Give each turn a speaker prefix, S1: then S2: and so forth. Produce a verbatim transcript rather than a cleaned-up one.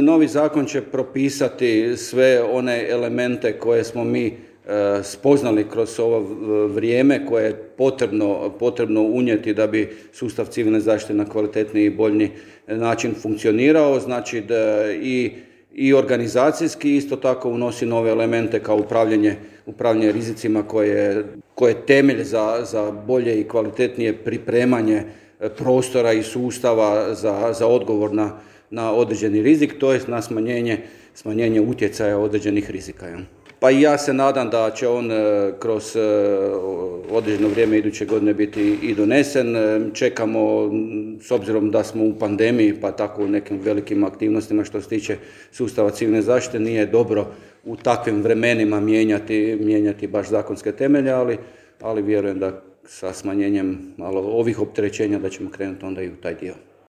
S1: Novi zakon će propisati sve one elemente koje smo mi e, spoznali kroz ovo vrijeme koje je potrebno, potrebno unijeti da bi sustav civilne zaštite na kvalitetniji i bolji način funkcionirao. Znači da i, i organizacijski isto tako unosi nove elemente kao upravljanje, upravljanje rizicima koje, koje je temelj za, za bolje i kvalitetnije pripremanje prostora i sustava za, za odgovor na na određeni rizik, to je na smanjenje, smanjenje utjecaja određenih rizika. Pa i ja se nadam da će on kroz određeno vrijeme iduće godine biti i donesen. Čekamo, s obzirom da smo u pandemiji, pa tako u nekim velikim aktivnostima što se tiče sustava civilne zaštite, nije dobro u takvim vremenima mijenjati, mijenjati baš zakonske temelje, ali, ali vjerujem da sa smanjenjem malo ovih opterećenja da ćemo krenuti onda i u taj dio.